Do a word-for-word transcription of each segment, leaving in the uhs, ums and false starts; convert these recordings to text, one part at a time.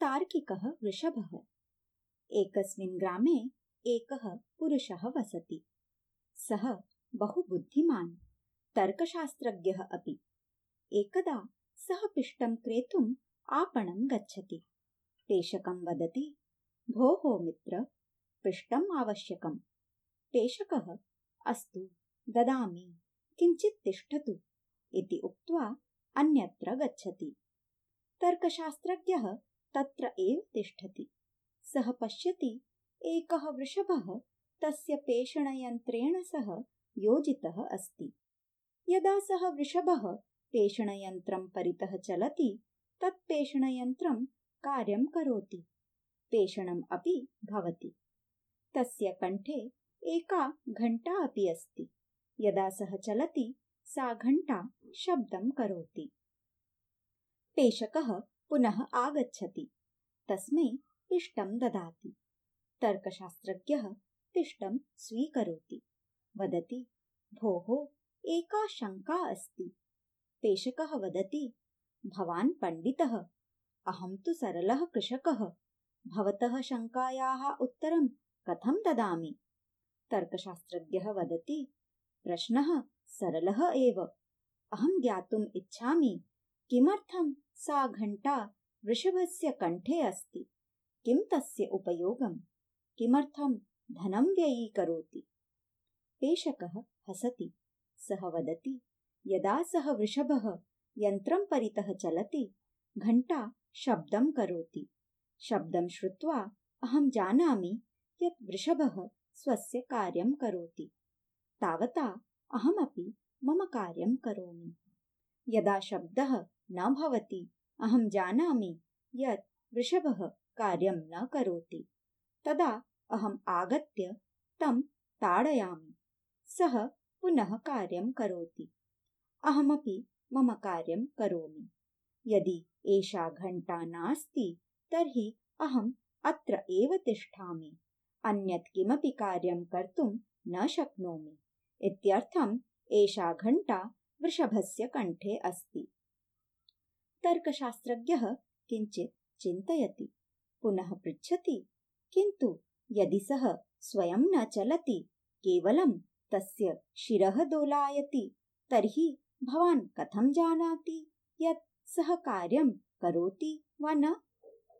तार्किकः वृषभः। एकस्मिन् ग्रामे एकः पुरुषः वसति। सः बहु बुद्धिमान्, तर्कशास्त्रज्ञः अपि। एकदा सः पिष्टं क्रेतुम् आपणं गच्छति। पेषकं वदति, भोः मित्र, पिष्टम् आवश्यकम्। पेषकः, अस्तु ददामि, किञ्चित् तिष्ठतु इति उक्त्वा अन्यत्र गच्छति। तर्कशास्त्रज्ञः तत्र एव तिष्ठति। सः पश्यति, एकः वृषभः तस्य पेषणयन्त्रेण सह योजितः अस्ति। यदा सः वृषभः पेषणयन्त्रं परितः चलति, तत् पेषणयन्त्रं कार्यं करोति, पेषणम् अपि भवति। तस्य कण्ठे एका घण्टा अपि अस्ति। यदा सः चलति, सा घण्टा शब्दं करोति। पेषकः पुनः आगच्छति, तस्मै पिष्टं ददाति। तर्कशास्त्रज्ञः पिष्टं स्वीकरोति, वदति, भोः, एका शङ्का अस्ति। पेषकः वदति, भवान् पण्डितः, अहं तु सरलः कृषकः, भवतः शङ्कायाः उत्तरं कथं ददामि? तर्कशास्त्रज्ञः वदति, प्रश्नः सरलः एव। अहं ज्ञातुम् इच्छामि, किमर्थं सा घण्टा वृषभस्य कण्ठे अस्ति? किं तस्य उपयोगम्? किमर्थं धनं व्ययीकरोति? पेषकः हसति। सः वदति, यदा सः वृषभः यन्त्रं परितः चलति, घण्टा शब्दं करोति। शब्दं श्रुत्वा अहं जानामि यत् वृषभः स्वस्य कार्यं करोति। तावता अहमपि मम कार्यं करोमि। यदा शब्दः न भवति, अहं जानामि यत् वृषभः कार्यं न करोति। तदा अहम् आगत्य तं ताडयामि। सः पुनः कार्यं करोति। अहमपि मम कार्यं करोमि। यदि एषा घण्टा नास्ति, तर्हि अहम् अत्र एव तिष्ठामि, अन्यत् किमपि कार्यं कर्तुं न शक्नोमि। इत्यर्थम् एषा घण्टा वृषभस्य कण्ठे अस्ति। तर्कशास्त्रज्ञः किञ्चित् चिन्तयति, पुनः पृच्छति, किन्तु यदि सः स्वयं न चलति, केवलं तस्य शिरः दोलायति, तर्हि भवान् कथं जानाति यत् सः कार्यं करोति वा न?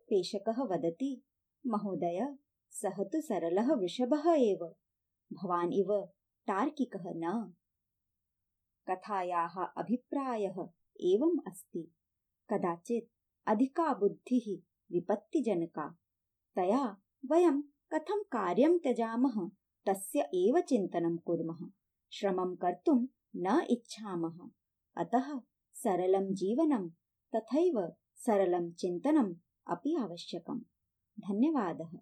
पेषकः वदति, महोदय, सः तु सरलः वृषभः एव, भवान् इव तार्किकः न। कथायाः अभिप्रायः एवम् अस्ति, कदाचित् अधिका बुद्धिः विपत्तिजनका। तया वयं कथं कार्यं त्यजामः तस्य एव चिन्तनं कुर्मः। श्रमं कर्तुं न इच्छामः। अतः सरलं जीवनं तथैव सरलं चिन्तनम् अपि आवश्यकम्। धन्यवादः।